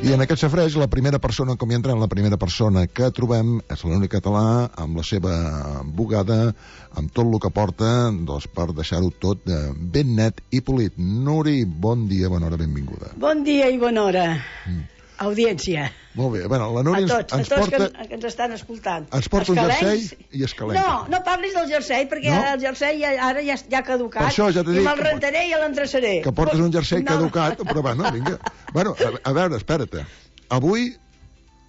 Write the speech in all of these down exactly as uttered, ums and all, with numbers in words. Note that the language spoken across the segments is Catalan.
I en aquest safareig, la primera persona, com hi entra, la primera persona que trobem és l'únic català, amb la seva bugada, amb tot el que porta, doncs, per deixar-ho tot ben net i polit. Nuri, bon dia, bona hora, benvinguda. Bon dia i bona hora, mm. audiència. Molt bé, bueno, la Nuri a tots, ens, ens a tots porta... que, que ens estan escoltant. Ens porta Escalencs... un jersei i escalenca. No, no parlis del jersei, perquè no? El jersei ja, ara ja, ja ha caducat. Per això ja t'he dit... I me'l rentaré i l'endreçaré. Que portes un jersei no. caducat, però bueno, vinga. Bueno, a, a veure, espera't. Avui...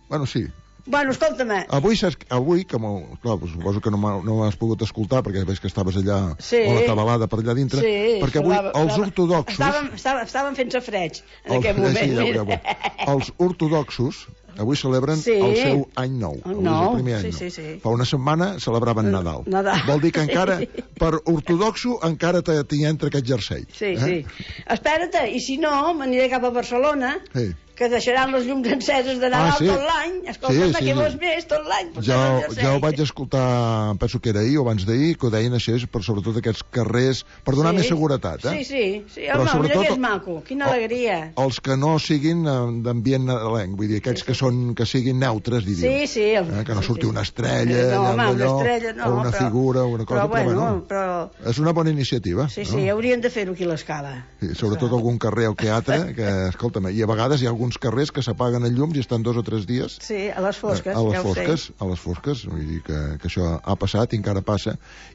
Bueno, sí. Bueno, escolta-me. Avui, avui que clar, suposo que no m'has pogut escoltar, perquè veig que estaves allà sí. molt atabalada per allà dintre, sí, perquè avui estava, els ortodoxos... Estàvem, estàvem, estàvem fent safreig en el, aquest moment. Sí, ja, ja, ja. Els ortodoxos avui celebren sí. el seu any nou. El nou, el primer any sí, nou. sí, sí. Fa una setmana celebraven Nadal. Nadal. Vol dir que encara, per ortodoxo, encara t'hi entra aquest jersei. Sí, eh? sí. Espera't, i si no, m'aniré cap a Barcelona... Sí. Que deixaran les llums enceses de Nadal ah, sí? tot l'any. Escolta'm, sí, sí, que vols més tot l'any. Ja, ja ho vaig escoltar, penso que era ahir o abans d'ahir, que ho deien així, per sobretot aquests carrers, per donar sí. més seguretat. Eh? Sí, sí, sí. Però no, mira que és maco, quina alegria. Els que no siguin d'ambient nadalenc, vull dir, aquells sí, sí. que són que siguin neutres, diríem. Sí, sí. El... Eh? Que no surti sí, sí. una estrella, no, home, allò, una estrella, no, o una però... figura, o una cosa, però, bueno, però, bueno, però... és una bona iniciativa. Sí, sí, no? Haurien de fer-ho aquí a l'Escala. Sí, sobretot algun carrer o teatre, que, escolta'm, i a vegades hi ha alguns carrers que s'apaguen els llums i estan dos o tres dies sí, a les fosques, a, a les ja fosques, a les fosques, vull dir que, que això ha passat i encara passa,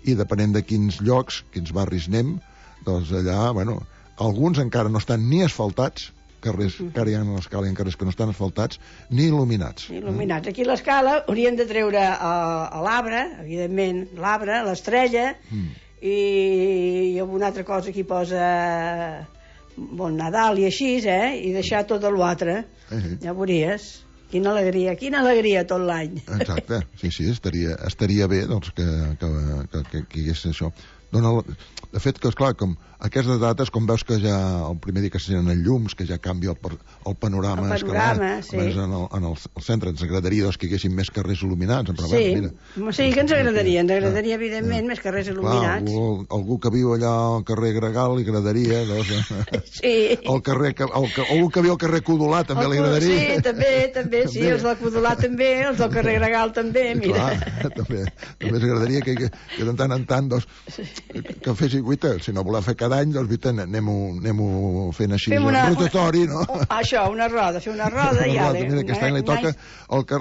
i depenent de quins llocs, quins barris anem, doncs allà, bueno, alguns encara no estan ni asfaltats, carrers, mm. encara hi ha a l'Escala carrers que no estan asfaltats, ni il·luminats. Ni il·luminats. Aquí a l'Escala haurien de treure a, a l'arbre, evidentment, l'arbre, l'estrella, mm. i, i alguna altra cosa que hi posa... Bon Nadal i així, eh? I deixar tot l'altre. Eh, eh. Ja veuries. Quina alegria, quina alegria tot l'any. Exacte, sí, sí, estaria, estaria bé doncs, que, que, que, que, que hi hagués això. Dona, de fet, que esclar, com aquestes dates, com veus que ja el primer dia que s'encenen llums, que ja canvia el, el panorama, el panorama escalar, sí. en, el, en el, el centre ens agradaria doncs, que hi haguessin més carrers il·luminats, però sí, bueno, mira. Sí, que ens agradaria, ens agradaria eh, evidentment eh, més carrers il·luminats. Clar, algú, algú que viu allà al carrer Gregal li agradaria, doncs, eh, sí. el carrer, el, algú que viu al carrer Codolà també el, li agradaria. Sí, també, també, sí, també. Els del Codolà també, els del carrer Gregal també, mira. Clar, també, també ens agradaria que, que, que de tant en tant, doncs, que fessin, guita, si no volem fer cada any, doncs, guita, anem-ho anem fent així, un rotatori, no? Això, una roda, fer una roda i ara... Mira, aquest any li toca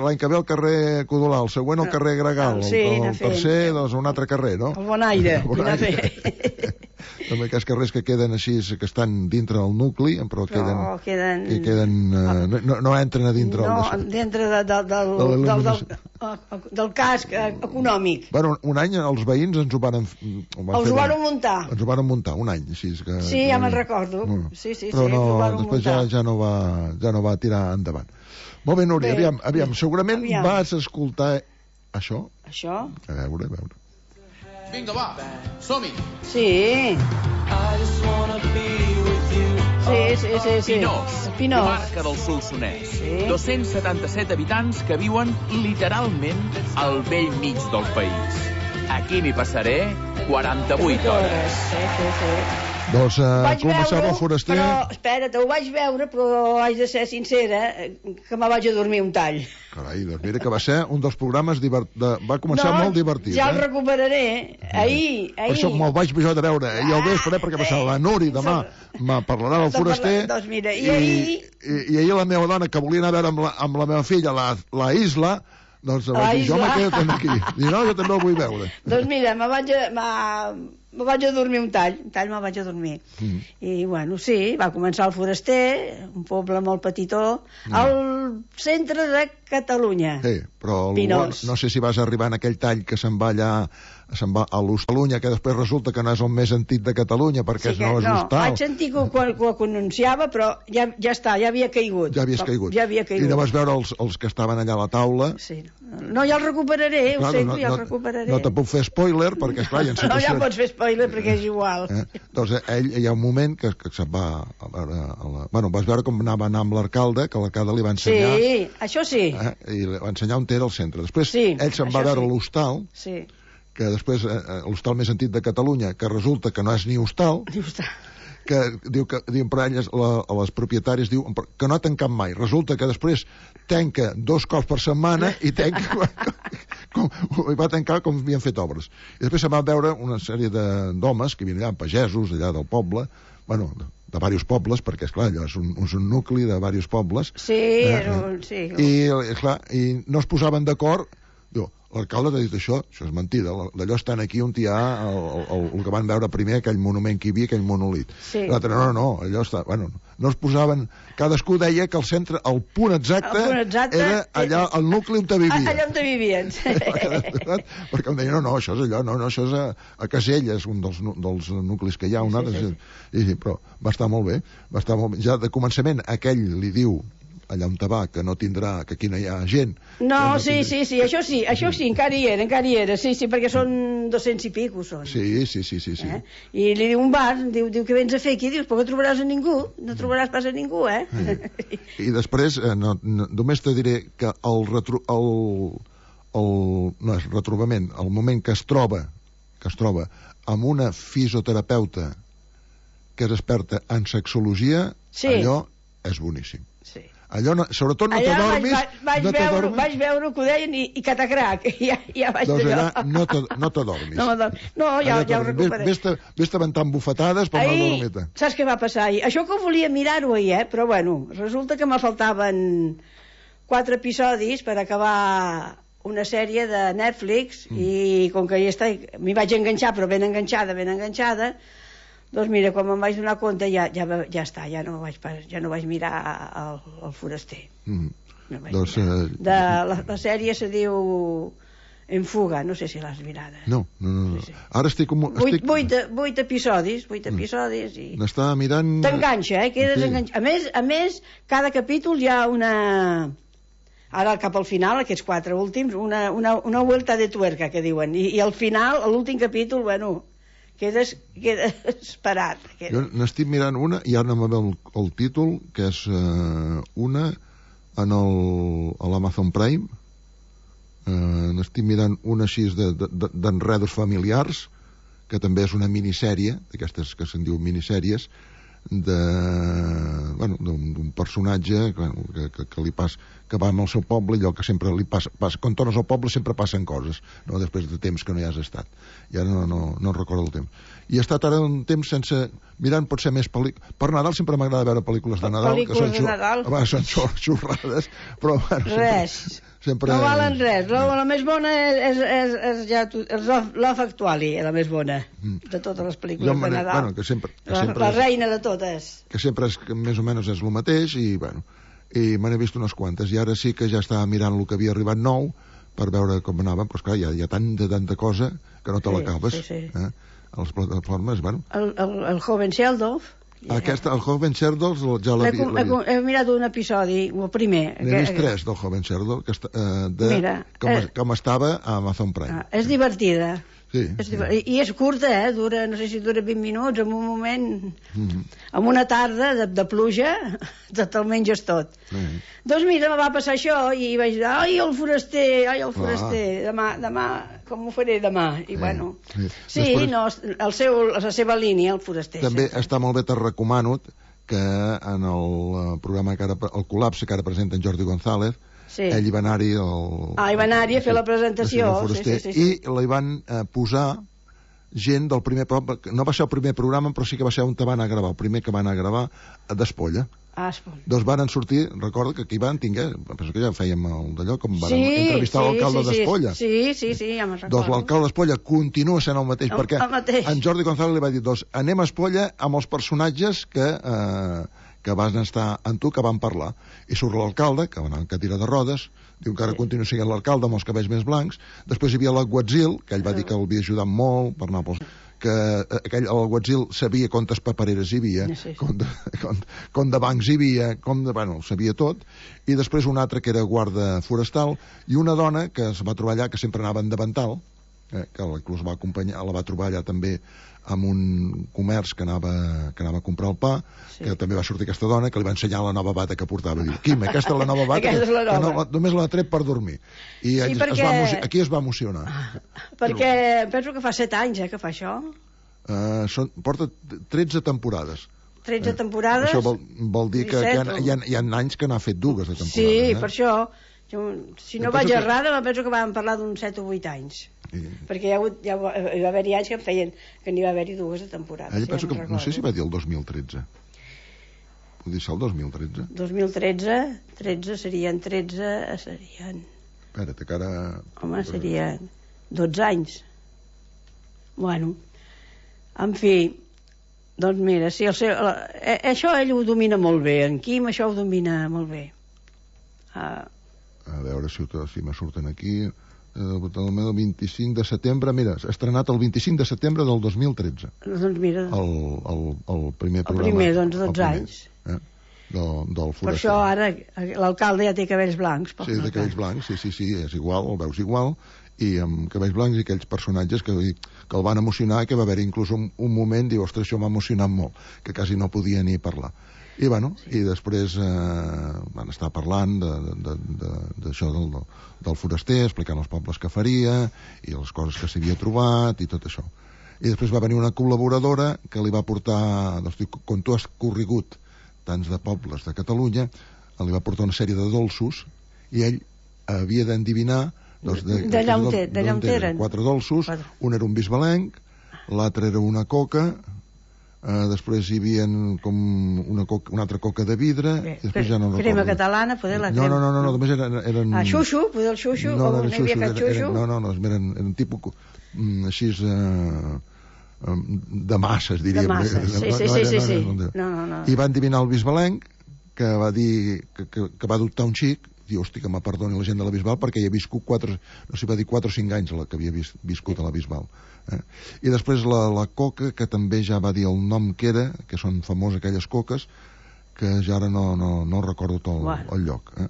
l'any que ve el carrer Codolà, el següent el carrer Gregal, sí, el, el tercer, doncs, un altre carrer, no? El Bonaire, anar fent. També aquests carrers que queden així, que estan dintre del nucli, però queden... Però queden... Que queden uh, no, no entren a dintre no, del... No, dintre de, de, del, del, del, del, del casc econòmic. Bueno, un any els veïns ens ho van... Els ho van muntar. Ens ho van muntar, un any, així que... Sí, ja me'n recordo. No, sí, sí, però sí, no, ho van després muntar. ja, ja, no va, ja no va tirar endavant. Molt bé, Núria, aviam, aviam, segurament aviam. vas escoltar això. Això? A veure, a veure. Vinga, va, som-hi. Sí. Sí, sí, sí, sí. Pinós, Pinós. comarca del Solsonès. Sí. dos-cents setanta-set habitants que viuen literalment al vell mig del país. Aquí m'hi passaré quaranta-vuit hores. Sí, sí, sí. Doncs uh, començava el foraster... Però, espera't, ho vaig veure, però haig de ser sincera, que me vaig a dormir un tall. Carai, doncs mira que va ser un dels programes divert... de... va començar no, molt divertit. Ja eh? el recuperaré. Ahir, ahir... Per això me'l vaig jo de veure. I el vespre, perquè passava la Nuri demà me parlarà del foraster. Doncs mira, i, i ahir... I, i ahir la meva dona, que volia anar a veure amb la, amb la meva filla la, la Isla, doncs vaig dir, jo me quedo també aquí. I no, jo també el vull veure. Doncs mira, me vaig a... Me... me vaig a dormir un tall, un tall me vaig a dormir. Mm. I, bueno, sí, va començar el foraster, un poble molt petitó, mm. al centre de Catalunya. Sí, però el, no sé si vas arribar en aquell tall que se'n va allà, se'n va a l'Hostalunya, que després resulta que no és el més antic de Catalunya, perquè sí que, no és no, hostal. Vaig sentir que, que, que ho anunciava, però ja, ja està, ja havia caigut. Ja havies caigut. Ja havia caigut. I no vas veure els, els que estaven allà a la taula? Sí. No, ja el recuperaré, clar, ho sento, no, ja el no, recuperaré. No te puc fer spoiler, perquè, esclar, hi ha situacions... No, ja pots fer spoiler, perquè és igual. Eh? Doncs ell, hi ha un moment que, que se'n va a veure... A la... Bueno, vas veure com anava anar amb l'alcalde, que l'alcalde li va ensenyar... Sí, això sí. Eh? I li va ensenyar on era el centre. Després sí, ell se'n va veure sí. l'hostal, sí. que després, eh, l'hostal més antic de Catalunya, que resulta que no és ni hostal, ni hostal. que diu que diuen per elles, la, a les propietàries, diu que no ha tancat mai. Resulta que després tanca dos cops per setmana i tanca com, i va tancar com havien fet obres. I després se va veure una sèrie d'homes que venien allà, pagesos allà del poble, bueno, de, de diversos pobles, perquè, esclar, allò és un, és un nucli de diversos pobles. Sí, eh, és un... Sí. I, esclar, i no es posaven d'acord. Diu, l'alcalde t'ha dit això, això és mentida, d'allò estan aquí on hi ha el, el, el que van veure primer, aquell monument que hi havia, aquell monolit. Sí. L'altre, no, no, no, allò està... Bueno, no es posaven... Cadascú deia que el centre, el punt exacte, el punt exacte era allà, el nucli on te vivia. Allà on te vivien. Perquè em deien, no, no, això és allò, no, no, això és a, a Caselles, un dels, dels nuclis que hi ha, un altre... Sí, sí. I, sí, però va estar molt bé, va estar molt bé. Ja de començament, aquell li diu allà on te va, que no tindrà, que aquí no hi ha gent. No, no sí, tindrà... sí, sí, això sí, això sí, encara hi era, encara hi era, sí, sí, perquè són dos-cents i pico, són. Sí, sí, sí, sí. sí. Eh? I li diu un bar, diu, diu que vens a fer aquí, dius, però no trobaràs a ningú, no trobaràs pas a ningú, eh? Sí. I després, eh, no, no, només te diré que el, retro, el, el, no és retrobament, el moment que es troba, que es troba amb una fisioterapeuta que és experta en sexologia, sí. Allò és boníssim. Sí. Allò, no, sobretot no allà t'adormis... Vaig, vaig, no veure, vaig veure que ho deien i, i catacrac, ja, ja vaig doncs allò. allà no t'adormis. No, no, ja, ja ho recuperé. Vés-te aventant bufetades per anar a la dormita. Saps què va passar ahir? Això que volia mirar-ho ahir, eh? Però bueno, resulta que me faltaven quatre episodis per acabar una sèrie de Netflix mm. i com que ja està, m'hi vaig enganxar, però ben enganxada, ben enganxada, doncs mira, quan me'n vaig donar compte ja, ja, ja està, ja no vaig, ja no vaig mirar el, el foraster. Mm. No vaig doncs, mirar. Uh... De, la, la sèrie se diu En fuga, no sé si l'has mirada. No, no, no. no. Sí, sí. Ara estic... Com, vuit, estic... Vuit, vuit episodis, vuit mm. episodis i... N'està mirant... T'enganxa, eh? Quedes sí. enganxat. A més, a més, cada capítol hi ha una... Ara, cap al final, aquests quatre últims, una, una, una vuelta de tuerca, que diuen. I, i al final, l'últim capítol, bueno... Quedes, quedes parat. Quedes. Jo n'estic mirant una, i ara no me ve el, el títol, que és uh, una en el, a l'Amazon Prime. Uh, n'estic mirant una així d'enredos de, familiars, que també és una minissèrie, d'aquestes que se'n diu minissèries, de, bueno, d'un personatge que, que, que, que li passa, que va al seu poble, allò que sempre li passa, passa quan tornes al poble sempre passen coses, no? Després de temps que no hi has estat, i ara no, no, no recordo el temps, i he estat ara un temps sense mirant potser més pel·lícules. Per Nadal sempre m'agrada veure pel·lícules de Nadal, pel·lícules que són, de Nadal. Va, són xorrades, però bueno, res sempre, sempre... no valen res. La, la més bona és, és, és, és ja és Love Actually, la més bona de totes les pel·lícules jo, de Nadal, bueno, que sempre, que la, sempre la és, reina de totes, que sempre és, que més o menys és el mateix, i bueno, i me n'he vist unes quantes, i ara sí que ja estava mirant el que havia arribat nou per veure com anava, però esclar, hi ha, hi ha tanta, tanta cosa que no te sí, l'acabes, sí, sí. eh? A les plataformes, bueno. El, el, el Joven Sheldon. Aquesta, el Joven Sheldon ja l'he vist. He mirat un episodi, el primer. N'he vist tres del Joven Sheldon, que està, eh, de Mira, com, eh, com estava a Amazon Prime. Ah, és divertida. Sí, és sí. divertida. I, I és curta, eh? Dura, no sé si dura vint minuts, en un moment, mm-hmm. en una tarda de, de pluja, te'l menges tot. Mm-hmm. Doncs mira, me va passar això i vaig dir, ai, el foraster, ai, el foraster, ah. demà, demà, com ho faré demà? I sí, bueno, sí, sí Després, no, el seu, la seva línia, el foraster. També sempre. Està molt bé, te recomano que en el programa, que ara, el col·lapse que ara presenta en Jordi González, sí. ell hi va anar-hi el... ah, hi va anar-hi a fer la presentació sí, sí, sí, sí. I li van eh, posar gent del primer programa, no va ser el primer programa, però sí que va ser on te van a gravar, el primer que van a gravar d'Espolla. Ah, Espolla. Doncs van sortir, recorda que aquí van tinguer, penso que ja fèiem el d'allò, com van sí, entrevistar sí, l'alcalde sí, d'Espolla. Sí, sí, sí, ja me'n recordo. Doncs l'alcalde d'Espolla continua sent el mateix, el, perquè el mateix. En Jordi González li va dir, doncs anem a Espolla amb els personatges que... Eh, que van estar amb tu, que van parlar. I surt l'alcalde, que va anar en cadira de rodes, diu que ara sí. continua sent l'alcalde amb els cabells més blancs. Després hi havia l'Aguatzil, que ell va dir que l'havia ajudat molt per anar pels... que aquell, l'Aguatzil sabia quantes papereres hi havia, sí, sí. Com, de, com, com de bancs hi havia, com de... bueno, sabia tot. I després un altre que era guarda forestal, i una dona que es va trobar allà, que sempre anava en davantal, eh, que inclús va acompanyar, la va trobar allà també amb un comerç que anava, que anava a comprar el pa, sí. que també va sortir aquesta dona, que li va ensenyar la nova bata que portava. Diu, Quim, aquesta és la nova bata, que, la nova. que no, només l'ha tret per dormir. I sí, perquè... es va, aquí es va emocionar. Perquè Però... penso que fa set anys eh, que fa això. Uh, són, porta tretze temporades. tretze eh? temporades. Això vol, vol dir que, que hi, ha, hi, ha, hi ha anys que n'ha fet dues de temporades. Sí, eh? per això. Jo, si no vaig errada, que... penso que vam parlar d'uns set o vuit anys. Sí. Perquè hi, ha hagut, hi, ha, hi va haver-hi anys que em feien que n'hi va haver-hi dues de temporades. Eh, penso que, no sé si va dir el dos mil tretze. Vull dir, el dos mil tretze? dos mil tretze, tretze serien tretze, serien... Espera't, que ara... Home, serien dotze anys. Bueno, en fi, doncs mira, si el seu, eh, això ell ho domina molt bé, en Quim això ho domina molt bé. Uh, a veure si, si me surten aquí... el vint-i-cinc de setembre, mira, s'ha estrenat el vint-i-cinc de setembre del dos mil tretze. Doncs mira... El, el, el primer programa. El primer, doncs, dotze anys. Eh? Del, del per això ara l'alcalde ja té cabells blancs. Sí, té cabells blancs, sí, sí, sí, és igual, el veus igual, i amb cabells blancs i aquells personatges que, que el van emocionar, que va haver inclús un, un moment, diu, ostres, això m'ha emocionat molt, que quasi no podia ni parlar. I, bueno, sí. I després eh, van estar parlant d'això de, de, del, del foraster, explicant els pobles que faria i les coses que s'havia trobat i tot això. I després va venir una col·laboradora que li va portar, doncs, com tu has corregut tants de pobles de Catalunya, li va portar una sèrie de dolços i ell havia d'endevinar doncs, d'allà on, on eren quatre dolços, quatre. Un era un bisbalenc, l'altre era una coca. Uh, després hi havia com una, coca, una altra coca de vidre. Bé, i després ja no crema recordo. Catalana, poder la crema. No, no, no, no, només eren... eren... Ah, xuxu, poder el xuxu, no, o no, no hi havia cap xuxu? Eren, no, no, no, eren, eren tipus mm, així uh, um, de masses, diríem. De masses, sí, sí, no, sí, sí, sí. No, no, no. I van adivinar el bisbalenc, que va dir que, que, que va adoptar un xic, diu, hosti, que me perdoni la gent de la Bisbal, perquè hi ha viscut quatre, no sé, va dir quatre o cinc anys la que havia vis, viscut a la Bisbal. Eh? I després la, la coca, que també ja va dir el nom que era, que són famoses aquelles coques, que ja ara no, no, no recordo tot el, bueno. el lloc. Eh?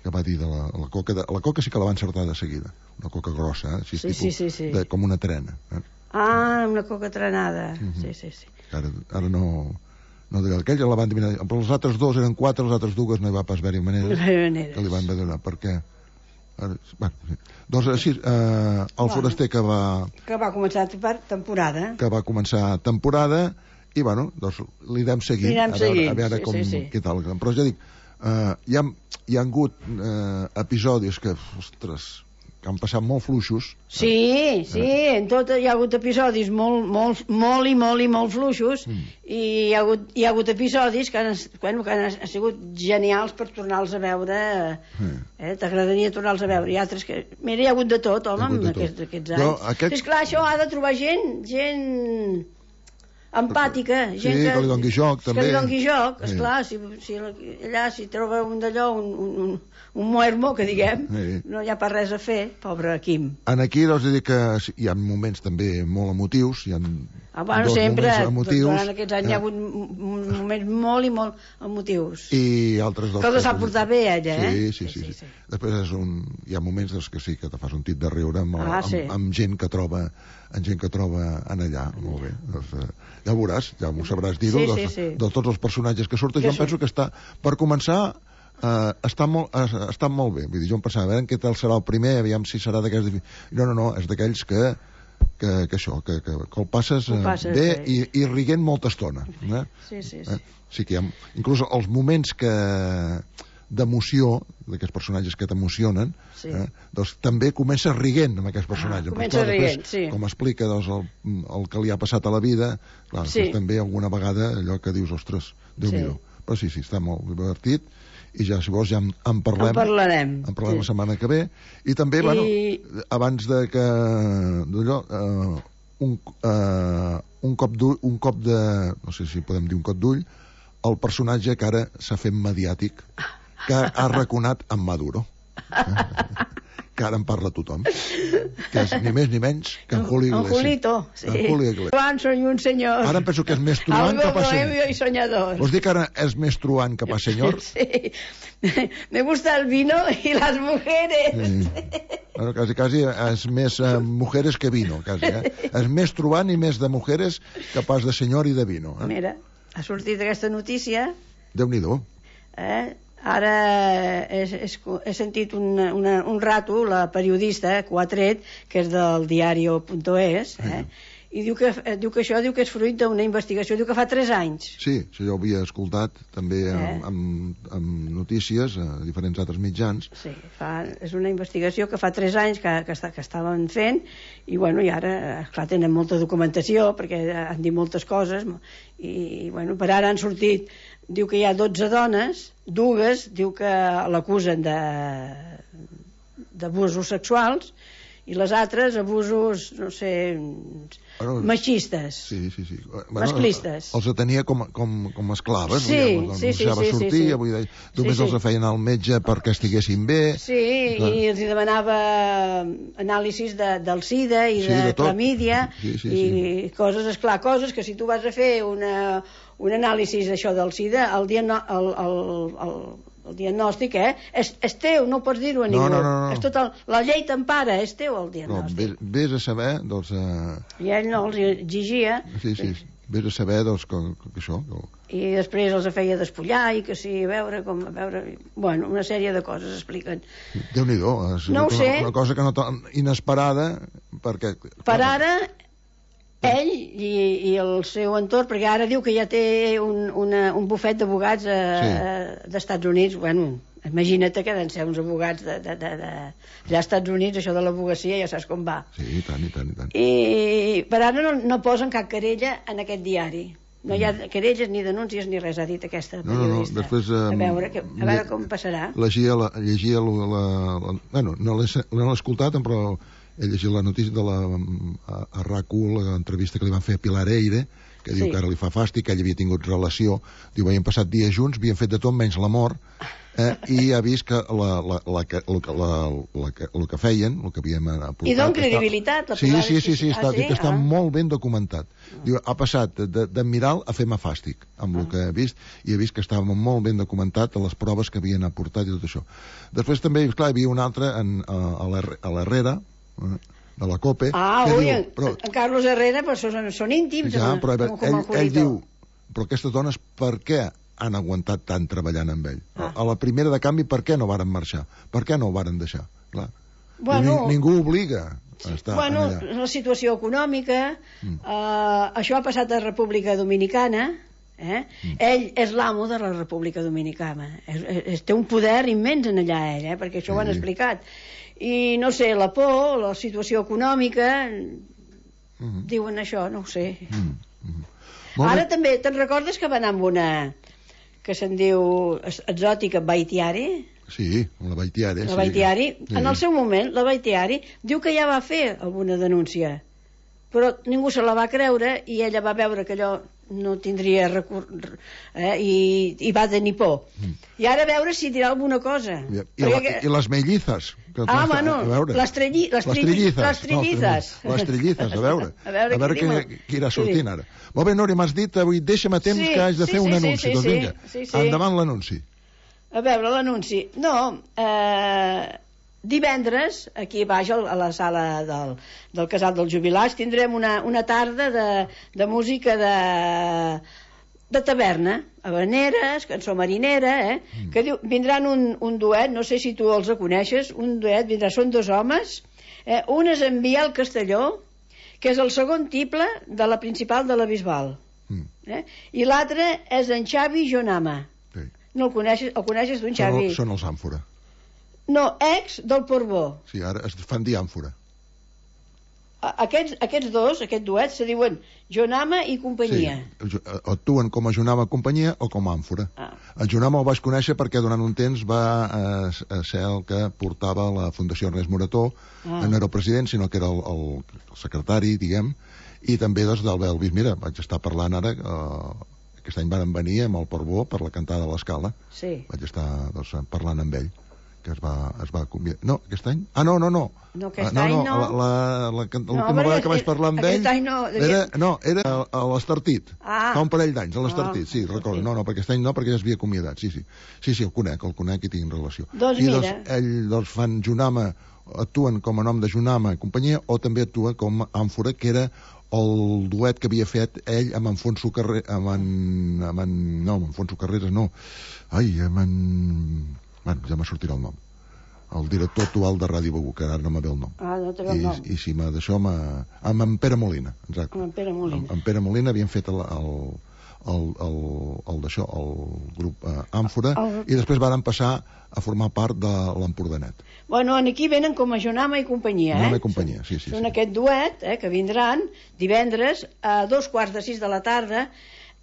Que va dir de la, la coca, de, la coca sí que la va encertar de seguida, una coca grossa, eh? Així, sí, tipus, sí, sí, sí. De, com una trena. Eh? Ah, una coca trenada, uh-huh. sí, sí, sí. Ara, ara no... no diré, aquell ja la van adivinar, però els altres dos eren quatre, els altres dues no hi va pas haver-hi maneres, maneres que li van donar, perquè ara, bueno, sí. Doncs així eh, el bueno, foraster que va que va començar per temporada que va començar temporada i bueno, doncs li anem seguint, a veure, a veure com, sí, sí, sí. què tal, però ja dic eh, hi, ha, hi ha hagut eh, episodis que, ostres, que han passat molt fluixos. Sí, eh? sí, en tot hi ha hagut episodis molt, molt, molt i molt i molt fluixos mm. i hi ha, hagut, hi ha hagut episodis que han, bueno, que han sigut genials per tornar-los a veure. Mm. Eh? T'agradaria tornar-los a veure. I altres que... Mira, hi ha hagut de tot, home, en aquests, aquests anys. Jo, aquest... És clar, això ha de trobar gent, gent empàtica, gent sí, que, que li doni joc, també. Que li doni joc, esclar, sí. si, si allà si troba un d'allò, un, un, un, un muermo, que diguem, sí. no hi ha pas res a fer, pobre Quim. En aquí, doncs, dir que hi ha moments també molt emotius, hi ha ah, bueno, dos sempre, moments emotius. Durant aquests anys eh? hi ha hagut moments molt i molt emotius. I altres dos... Que els ha portat bé, ella, eh? Sí, sí, sí. sí, sí. sí. Després és un, hi ha moments doncs, que sí, que te fas un tit de riure amb, ah, sí. amb, amb gent que troba en gent que troba en allà, molt bé. Doncs, eh, ja ho veuràs, ja m'ho sabràs dir-ho, sí, sí, sí. de tots els personatges que surten. Jo em penso que està, per començar, eh, està, molt, eh, està molt bé. Vull dir, jo em pensava, a veure què tal serà el primer, aviam si serà d'aquells... No, no, no, és d'aquells que, que, que això, que, que, que el passes, eh, passes bé i, i riguent molta estona. Eh? Sí, sí, sí. Eh? Sí que hi ha, inclús els moments que d'emoció, d'aquests personatges que t'emocionen, sí. eh, doncs també comença riguent amb aquests personatges. Ah, comença clar, riguent, després, sí. Com explica doncs, el, el que li ha passat a la vida, clar, sí. també alguna vegada allò que dius, ostres, Déu-n'hi-do. Sí. Però sí, sí, està molt divertit, i ja, si vols, ja en, en parlem. En parlarem. En parlem sí. la setmana que ve. I també, I... bueno, abans de que... d'allò... Eh, un, eh, un cop d'ull, un cop de... no sé si podem dir un cop d'ull, el personatge que ara s'ha fet mediàtic, que ha raconat en Maduro, eh? que ara en parla tothom, que és ni més ni menys que en Julio Iglesias. En Julito, sí. En Julio Iglesias. Juan, soy un senyor. Ara em penso que és més truant que pas senyor. Algo y soñador. Vols dir que ara és més truant que pas senyor? Sí. Me gusta el vino y las mujeres. Sí. Bueno, quasi, quasi és més uh, mujeres que vino, quasi, eh? És més truant i més de mujeres que pas de senyor i de vino. Eh? Mira, ha sortit aquesta notícia. Déu-n'hi-do. Eh? Ara he, he, he sentit una, una, un rato la periodista que ho ha tret, que és del diario punto es, eh? i diu que, diu que això diu que és fruit d'una investigació, diu que fa tres anys. Sí, això jo ho havia escoltat també Eh? amb, amb, amb notícies a diferents altres mitjans. Sí, fa, és una investigació que fa tres anys que, que, està, que estaven fent, i bueno, i ara, esclar, tenen molta documentació perquè han dit moltes coses, i, i bueno, per ara han sortit, diu que hi ha dotze dones, dues diu que l'acusen de d'abusos sexuals, i les altres abusos, no sé, Bueno, machistes. Sí, sí, sí. Bueno, Masclistes. Els tenia com, com, com esclaves. Sí, vull dir, sí, sí, deixava sí, sí, sortir, sí. Vull dir, només Sí, sí. els feien al metge perquè estiguessin bé. Sí, Clar. i els hi demanava anàlisis de, del sida i Sí, de, de tot. clamídia, Sí, sí, i sí. coses, esclar, coses que si tu vas a fer una, un anàlisi d'això del sida, el, diagno, el, el, el, el diagnòstic, eh, és, és teu, no pots dir-ho a ningú. No, no, no, no. És tot el, la llei t'empara, és teu el No, diagnòstic. vés, vés a saber, doncs... Eh, I ell no els exigia, sí, sí, vés a saber, doncs, que, que això... Que... i després els feia despullar, i que sí, a veure com... A veure, bueno, una sèrie de coses expliquen. Déu-n'hi-do, ha sigut No ho sé. una, una cosa que no tan inesperada, perquè... Per ara, ell i, i el seu entorn, perquè ara diu que ja té un, una, un bufet d'advocats eh, Sí. d'Estats Units, bueno, imagina't que han de ser uns advocats de, de, de, de... allà als Estats Units, això de l'advocacia ja saps com va. Sí, i tant, i tant, i tant. I per ara no, no posen cap querella en aquest diari. No hi ha querelles ni denúncies ni res, ha dit aquesta No, no, no, periodista. després... Eh, a veure, que, a veure com passarà. Llegia, la, llegia la, la, la... Bueno, no l'he no l'he escoltat, però he llegit la notícia de la a, a RAC u, l'entrevista que li van fer a Pilar Eire, que diu Sí. que ara li fa fàstic, que ell havia tingut relació, diu, havien passat dies junts, havien fet de tot menys l'amor, eh, i ha vist que la, la, la, que- el, que- la, la, que- el que feien, el que havíem aportat... I don està- credibilitat, la Sí, Pilar, sí, sí, sí, ah, està, sí? diu que està Ah. molt ben documentat. Diu, ha passat de- d'admirar a fer-me fàstic, amb el Ah. que he vist, i he vist que estava molt ben documentat a les proves que havien aportat i tot això. Després també, clar, hi havia un altre en, a, a l'Herre- a l'Herrera, eh, de la COPE, Ah, que ui, diu, en, però, en Carlos Herrera però són, són íntims, ja, amb, però a veure, com, com ell, el ell Julito. diu, però aquestes dones per què han aguantat tant treballant amb ell? Ah. A, a la primera de canvi, per què no varen marxar? Per què no ho varen deixar? Clar. Bueno, Ni, ningú obliga a estar bueno, allà. la situació econòmica, Mm. eh, això ha passat a República Dominicana, eh? Mm. Ell és l'amo de la República Dominicana, és, és, té un poder immens en allà ell, eh? Perquè això ho han Sí. explicat, i no sé, la por, la situació econòmica, Mhm. diuen això, no ho sé. Mm, mm. Molt Ara bé. també, te'n recordes que va anar amb una que se'n diu es- exòtica Baitiari? Sí, la Baitiari. La sí. Baitiari, Sí. en el seu moment, la Baitiari diu que ja va fer alguna denúncia, però ningú se la va creure i ella va veure que allò no tindria recur... eh, i, i va tenir por. Mm. I ara a veure si dirà alguna cosa. I, i, Perquè la, que- I les mellizas. Que Ah, a bueno, veure. les, trelli, les, Les trilli- trillizas. les trillizas. No, les trillizas, a veure. A veure, a veure què qui, diuen. qui irà Sí. sortint ara. Molt bé, Núria, m'has dit avui, deixa'm a temps Sí, que haig de sí, fer un sí, sí, anunci. sí, doncs sí. vinga, Sí, sí. endavant l'anunci. A veure, l'anunci. No, eh, divendres, aquí baix, al- a la sala del, del Casal dels Jubilats, tindrem una, una tarda de, de música de, de taverna, habaneres, cançó marinera, eh? Mm. Que diu, vindran un, un duet, no sé si tu els coneixes, un duet, vindrà, són dos homes, eh? Un és en Biel Castelló, que és el segon tiple de la principal de la Bisbal, Mm. eh? I l'altre és en Xavi Jonama. Sí. No el coneixes, el coneixes tu, en Són, Xavi? el- són els àmfora. No, ex del Portbó. Sí, ara es fan dir àmfora. A- Aquests, aquests dos, aquest duet, se diuen Jonama i companyia. Sí, actuen com a Jonama companyia o com a àmfora. Ah. El Jonama el vaig conèixer perquè durant un temps va eh, a ser el que portava la Fundació Ernest Morató, Ah. no era el president, sinó que era el, el, el secretari, diguem, i també doncs, del Belvis. Mira, vaig estar parlant ara, eh, aquest any van venir amb el Portbó per la cantada de l'Escala. Sí. Vaig estar doncs, parlant amb ell, que es va, es va convidar... No, aquest any? Ah, no, no, no. No, aquest Ah, any no. La, la, la, la, l'última perquè vegada que vaig parlar amb aquest ell... any no, devia- Era, no, era a, a l'Estartit. Ah. Fa un parell d'anys, a l'Estartit, Ah, sí, recordo. sí. No, no, perquè aquest any no, perquè ja s'havia acomiadat, sí, sí. Sí, sí, el conec, el conec i tinc relació. Doncs I mira. doncs, ell, doncs, fan Junama, actuen com a nom de Junama i companyia, o també actua com àmfora, que era el duet que havia fet ell amb en Fonso Carreras, amb en, amb en... No, amb en Fonso Carreras, no. Ai, amb en... Bueno, ja me sortirà el nom. el director actual de Ràdio Begur, que ara no me ve el nom. Ah, no té el nom. I, i si m'ha d'això, amb en Pere Molina, exacte. Amb en Pere Molina. Amb, amb Pere Molina havien fet el, el, el, el, el d'això, el grup eh, Àmfora, el... i després varen passar a formar part de l'Empordanet. Bueno, aquí venen com a Jonama i companyia, eh? Jonama i companyia, sí, sí. Són sí. aquest duet, eh, que vindran divendres a dos quarts de sis de la tarda.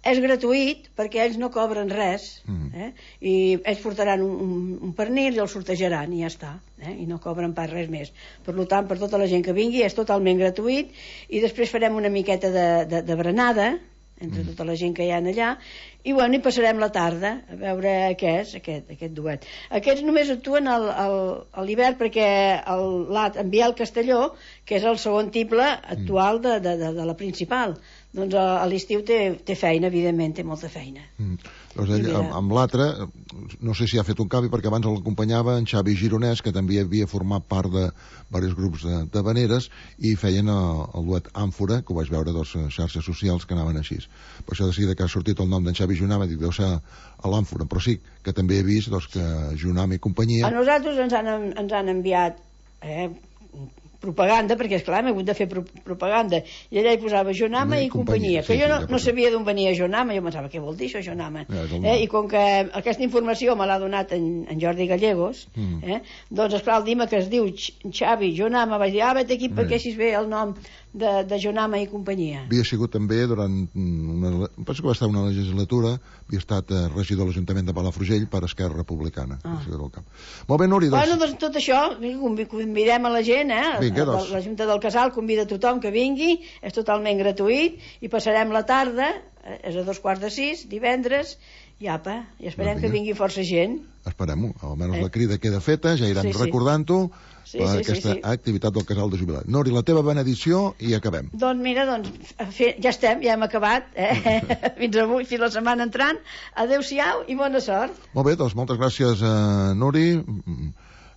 És gratuït perquè ells no cobren res, mm. eh? I ells portaran un, un, un pernil i el sortejaran i ja està, eh? I no cobren pas res més. Per tant, per tota la gent que vingui és totalment gratuït, i després farem una miqueta de, de, de berenada entre mm. tota la gent que hi ha allà, i bueno, hi passarem la tarda a veure què és aquest, aquest duet. Aquests només actuen al, al, a l'hivern perquè el, en Biel Castelló, que és el segon tible actual de, de, de, de la principal, doncs a, a l'estiu té, té feina, evidentment té molta feina. Mm. Doncs ell, amb, amb l'altre, no sé si ha fet un canvi, perquè abans l'acompanyava en Xavi Gironès, que també havia format part de diversos grups de, de veneres, i feien el, el duet Àmfora, que ho vaig veure a dos xarxes socials que anaven així. Per això de seguida que ha sortit el nom d'en Xavi Jonama, dic, deu ser a l'Àmfora, però sí que també he vist doncs, que Jonama i companyia... A nosaltres ens han, ens han enviat eh, propaganda, perquè esclar, hem hagut de fer pro propaganda, i allà hi posava Jonama i, i companyia, companyia. Que sí, jo no, sí, no sabia d'on venia Jonama, jo pensava, què vol dir això, Jonama? Ja, eh, I com que aquesta informació me l'ha donat en, en Jordi Gallegos, mm. eh, doncs esclar, el dia que es diu Xavi Jonama, vaig dir, ah, vet aquí perquè així es ve el nom de, de Jonama i companyia. Havia sigut també durant una, penso que va estar una legislatura, havia estat eh, regidor de l'Ajuntament de Palafrugell per Esquerra Republicana. Ah. Molt bé, Núria, doncs... Bueno, doncs tot això, convidem a la gent, eh? Vinga, doncs. La Junta del Casal convida tothom que vingui, és totalment gratuït, i passarem la tarda, és a dos quarts de sis, divendres, i apa, i esperem doncs que vingui força gent. Esperem-ho, almenys eh? La crida queda feta, ja irem sí, recordant-ho, sí, per sí, aquesta sí, sí. activitat del Casal de Jubilat. Nori, la teva benedicció i acabem. Doncs mira, doncs, ja estem, ja hem acabat, eh? Fins avui, fins la setmana entrant. Adéu-siau i bona sort. Molt bé, doncs moltes gràcies, uh, Nori,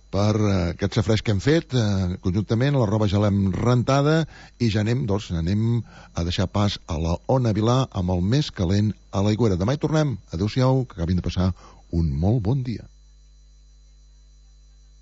per uh, aquest safreix que hem fet uh, conjuntament, la roba ja l'hem rentada i ja anem, doncs, anem a deixar pas a la Ona Vilà amb el més calent a l'aigüera. Demà hi tornem. Adéu-siau, que acabin de passar un molt bon dia.